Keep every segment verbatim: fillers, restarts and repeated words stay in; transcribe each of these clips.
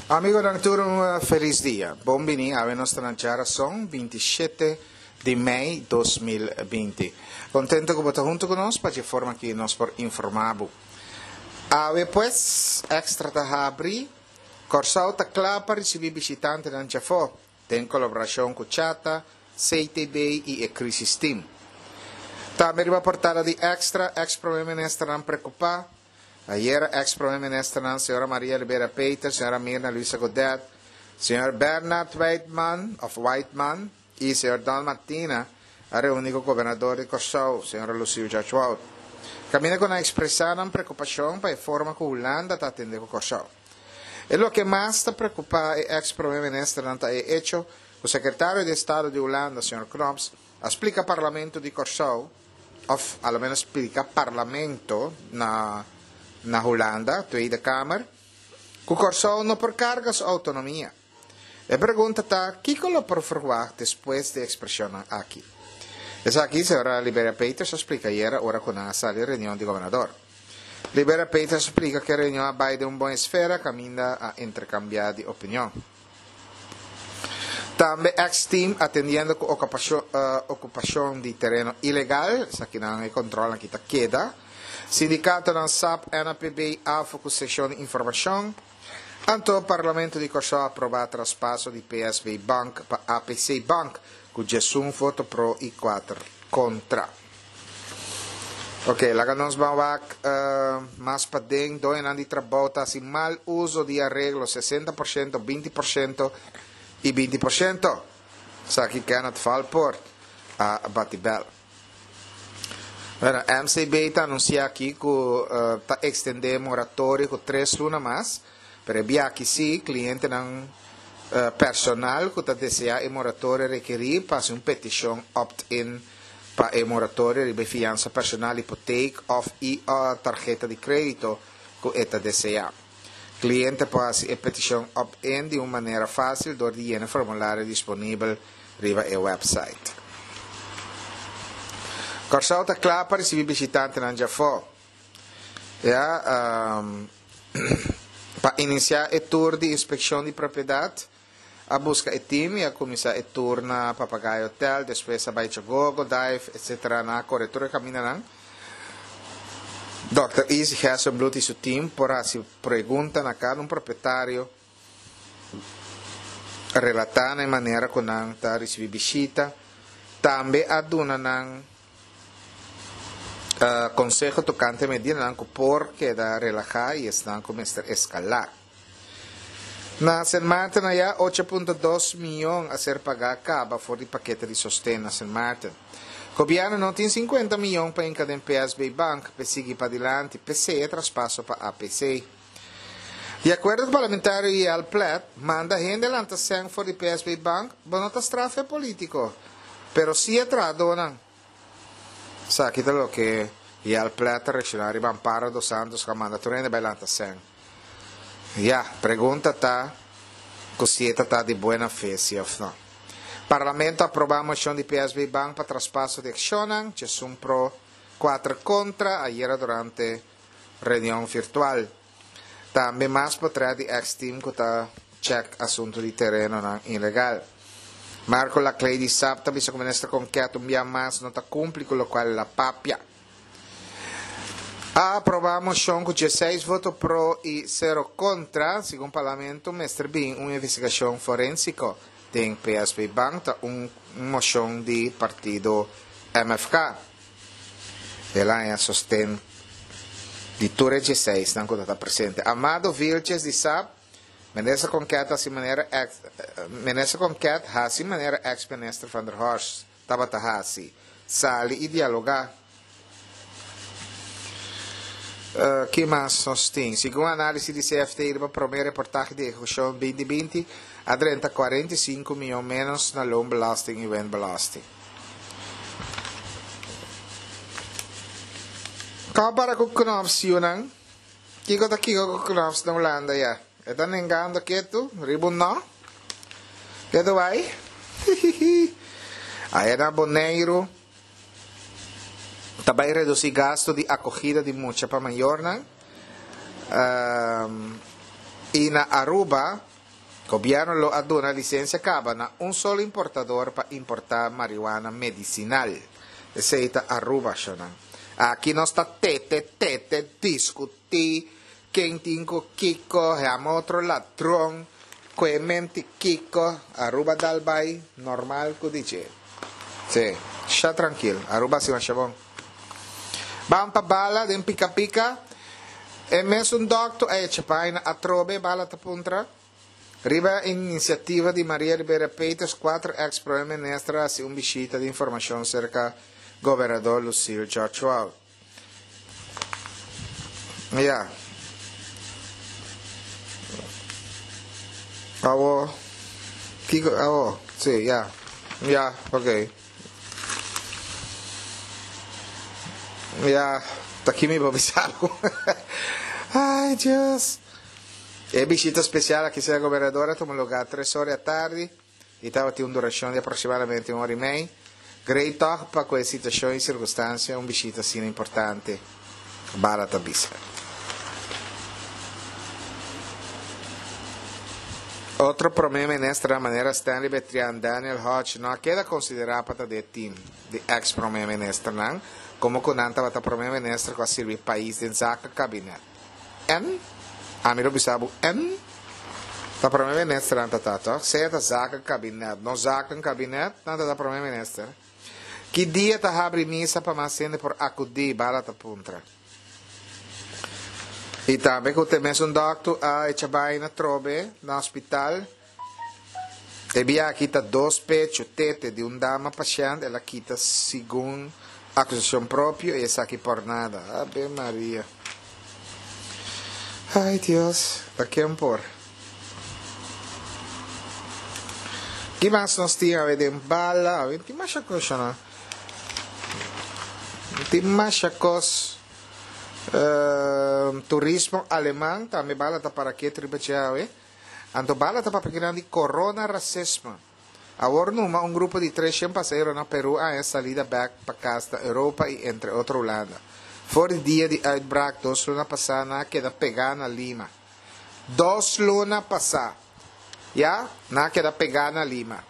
Amigonan tur un felis dia. Bon bini awe nos ta na djarason binti shete di mei dos mil binti. Contento cu bo ta hunto cu nos pa dje forma aki nos por informa bo. Awe pues Extra ta habri. Corsou ta cla pa ricibi bishitantenan djafo den colaboracion cu Chata, C T B y e Crisis Team. Tambe riba portada di Extra, ex Prome Ministernan preocupa. Ayera ex Prome Ministernan señora Maria Liberia Peters, señora Mirna Luisa Godet, señor Bernard Whiteman of Whiteman y señor Don Martina a reuni cu Gobernador di Corsou, señora Lucille George-Wout. Caminda cu nan a expresa nan preocupacion pa e forma cu Hulanda ta atende cu Corsou. E loke mas ta preocupa e ex Prome Ministernan ta e hecho cu Secretario di Estado di Hulanda, señor Knops, a splica Parlamento di Corsou, of a lo menos splica Parlamento na na Hulanda, Tweede Kamer, cu Corsou no por carga su autonomia. E pregunta ta, kico lo por verwacht despues di expresionnan aki? Esaki señora Liberia Peters a splica ayera ora cu nan a sali reunion di gobernador. Liberia Peters a splica cu e reunion a bay den un bon esfera caminda a intercambia di opinion. Tambe ex-team atendiendo cu ocupacion di tereno ilegal, esakinan e controlnan aki ta keda. Sindicatonan S A P, N A P B, A F O cu seccion di informacion. Anto Parlamento di Corsou a aproba traspaso di P S B Bank pa A P C Bank cu diesun voto pro y cuater contra. Ok, laga nos ban wak, eh, mas paden, doenan di trabou ta haci mal uso di arreglo, sesenta por ciento, binti por ciento y binti por ciento. Saki Kenneth Valpoort a bati bel. Bueno, M C B ta anuncia aki cu, eh, ta extende moratorio cu tres luna mas, pero e biaki si, clientenan, eh, personal cu ta desea e moratorio requeri pa haci un peticion opt-in pa e moratorio riba fianza personal, hipoteek of i, eh, tarjeta di credito cu e ta desea. Cliente por haci e peticion opt-in di un manera fácil door di llena formulario disponibel riba e website. Corsou ta kla pa recibi visitantenan djafó. Ja, ehm, pa inicia e tour di inspeccion di propiedad, a busca e team y a cuminsa e tour na Papagayo Hotel, despues a bay Chogogo, Dive, etcétera na corre tur e caminanan. Doctor Izzy Gerstenbluth y su team por haci pregunta na cada un propietario relata na e manera cu nan ta ricibi visita. Tambe a duna nan, eh, conseho tocante medidanan cu por keda relaja y esnan cu mester escala. Na Sint Maarten allá, ocho punto dos miljoen a ser pagá caba for di paquete di sosten na Sint Maarten. Gobierno no tin cincuenta miljoen pa inca den P S B Bank, pe sigui pa dilanti, P C e traspaso pa A P C. Di acuerdo cu parlamentario I L Plet, manda hende lanta sen for di P S B Bank, bo no ta strafe politico, pero si e tradonan. Sa, kita lo que I L Plet a reaccionar riba Amparo dos Santos que manda tur hende bai lanta sen. Ja, pregunta ta cu si eta ta di buena fe, si of no. Parlamento aproba moción di P S B Bank pa traspaso di accionan, diesun pro, cuatro contra, ayer durante reunión virtual. Tambe mas potré di ex-team cu ta check asunto di tereno nan ilegal. Marco Laclay di S A P ta bisa cu minister Konket un bia mas no ta cumpli cu lo cual la papia. A aproba moción cu diesseis voto pro y cero contra, según Parlamento, mester bin un investigación forénsico den P S B Bank, ta un moción di partido M F K. El aña sosten di tur e diesseis nan cu ta presente. Amado Vilches di S A P, minister Konket hasi manera ex, minister Konket hasi manera ex-minister van der Horst tabata hasi. Sali y dialoga. Eh, ¿qué más nos tin? Según análisis di C F T, riba primer reportaje di ejecución veinte veinte, a treinta cuarenta y cinco millones menos na loonbelasting y winbelasting. Kau para ku Knops, Yunan? Kiko ta kiko ku Knops na Hulanda ya? Eta nengando ketu? Ribu no? Ketu bai? Aya na Boneiru. Tabay reduci gasto di acogida di mucha pa mayornan. Ehm, y na Aruba, Gobièrnu lo a duna lisensia kaba na un solo importador pa importá mariwana medisinal. Esei ta Aruba, shonan. Aki nos ta tete tete diskutí ken tin ku kiko, yama otro ladron, kue menti kiko, Aruba dal bai normal ku dje. Sí, sha trankil, Aruba si masha bon. Ban pa Bala den pika pika. E mesun dòkter a echa paina atrobe, Bala ta puntra. Riba inisiativa di Maria Liberia Peters, kuater eks prome minister a hasi un bishita di informashon serka gobernador Lucille George Wout. Ya. Awo. Kiko awo? Sí, ya. Ya, ok. Ya, ta ki mi por bisa bo. Ay, Dios. E bishita spesial aki serka gobernador a tuma lugá tres ora di atardi i tabatin un durashon di aproksimadamente un ora i mei. Grei tòg pa ku e situashon i sirkunstansia un bishita asina importante, Bala ta bisa. Otro prome ministernan manera Stanley Betrian, Daniel Hodge no a keda konsiderá pa ta den e tim di eks prome ministernan, komo ku nan tabata prome minister ku a sirbi pais den zakenkabinet. En? Ami lo bisa bo en? Ta prome minister nan ta ta toch? Sea ta zakenkabinet, no zakenkabinet, nan ta ta prome minister. Ki dia ta habri misa pa mas hende por akudí? Bala ta puntra. I tambe ku te mesun dòkter a echa bai na trobe na hospital. E bia a kita dos pechu, tete, di un dama pashènt, el a kita segun akusashon propio i esaki por nada. Ave Maria. Ay Dios, ta ken por? Ki mas nos tin awe den bala? Awe tin masha kos shona. Tin masha kos. Uh, turismo aleman tambe bala ta para ketu riba dje awe. Anto bala ta papia kinan di corona racisme. Awor numa un grupo di tres shen pasahero na Peru a haña salida bek pa kas na Europa i entre otro Hulanda. For di dia di uitbraak dos luna pasá nan a keda pegá na Lima. Dos luna pasá, ya, nan a keda pegá na Lima.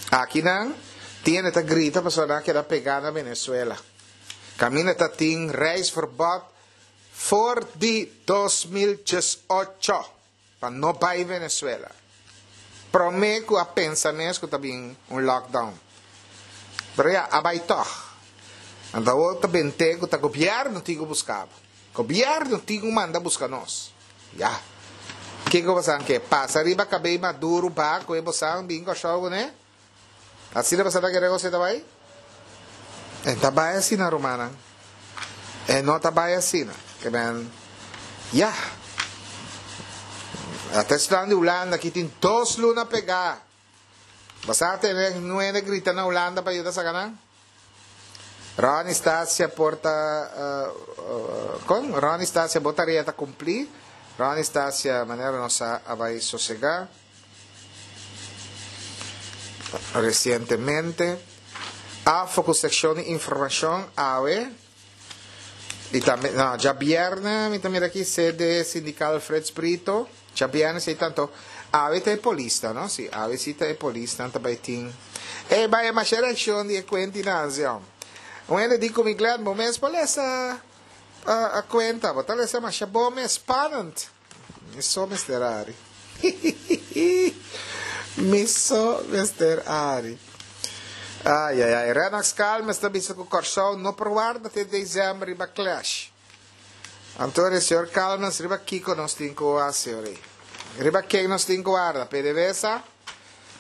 Aki nan tiene ta grita pasobra nan a keda pegá na Venezuela. Kaminda ta tin reisverbod for di dos mil diesocho pa no bai Venezuela. Prome ku a pensa mes ku ta bin un lockdown. Pero ya, a bai tog. Anto awor ta bente ku ta gobièrnu tin ku buska bo. Gobièrnu tin ku manda buska nos. Ya. Kiko bosan ke? Pasa riba kabei Maduro ba ku e bosan bin Kòrsou kuné? Asina bosan ta kere kos e ta bai? E ta bai asina rumannan. E no ta bai asina. Ke men, ya. Ata esnan di Hulanda ki tin dos luna pegá. Bosan a tene nuene grita na Hulanda pa yuda saka nan? Ronnie Stasia por ta kon? Ronnie Stasia bo tarea ta kumplí. Ronnie Stasia manera nos sa a bai sosegá resientemente. Afo ku sekshon di informashon awe i tambe no djabièrnè mi ta mira aki sede sindikal Frits Brito djabièrnè si tanto awe ta e polisnan no si awe si ta e polisnan ta bai tin e bai e masha reakshon di e kuentinan si hom un hende di ku mi Glenn bo mes por lesa a kuenta bo ta lesa masha bon mes spannend mi so mester ari hihihi mi so mester ari ay ay ay Rennox Calmes ta bisa ku Kòrsou no por warda te desèmber riba clash anto e señor Calmes riba kiko nos tin ku hasi ora ei riba ken nos tin ku warda P D V S A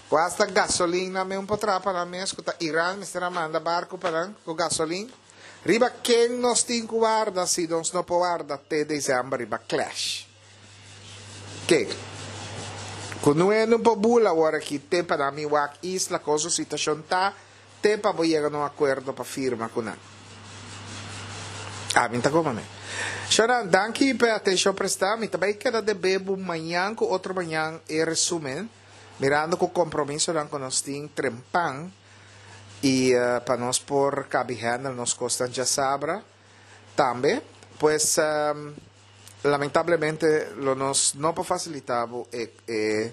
ku hasta gasolin nan mes un por traha pa nan mes ku ta Iran mester a manda barku pa nan ku gasolin. Riba ken nos tin ku warda si nos no por warda te desèmber riba clash? Ken? Ku nue no por bula awor aki te pa nan mi wak isla kon su situashon ta te pa bo yega na un akuerdo pa firma ku nan. Ami ta koma mi. Shona, danki pa e atenshon prestá. Mi ta bai keda debé bo mañan ku otro mañan e resumen, mirando ku kompromisonan ku nos tin trempan. I pa nos por kabi handle nos kosnan djasabra tambe. Pues Lamentablemente lo nos no por fasilitá e, e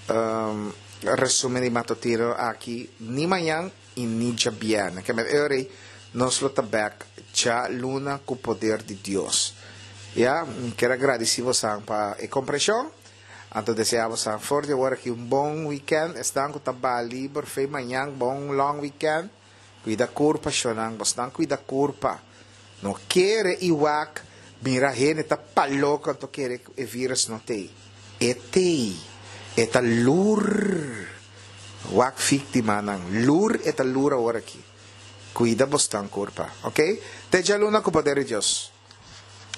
um, resumen di matutino aki ni mañan i ni djabièrnè. Ke men ora nos lo ta bèk djaluna ku poder di Dios. Ya, ke gradisí boso pa e komprenshon. Anto deseá boso for di awor aki un bon weekend. Esnan ku ta liber, fe mañan, bon long weekend. Kuida kurpa, shonnan, boso kuida kurpa. No kere i wak, mira hende ta paloko, anto kere e virus no t'ei. E t'ei. E ta lur. Wak víktimanan. Lur e ta lur awor aki. Kuida boso kurpa, ok? Te djaluna ku poder di Dios.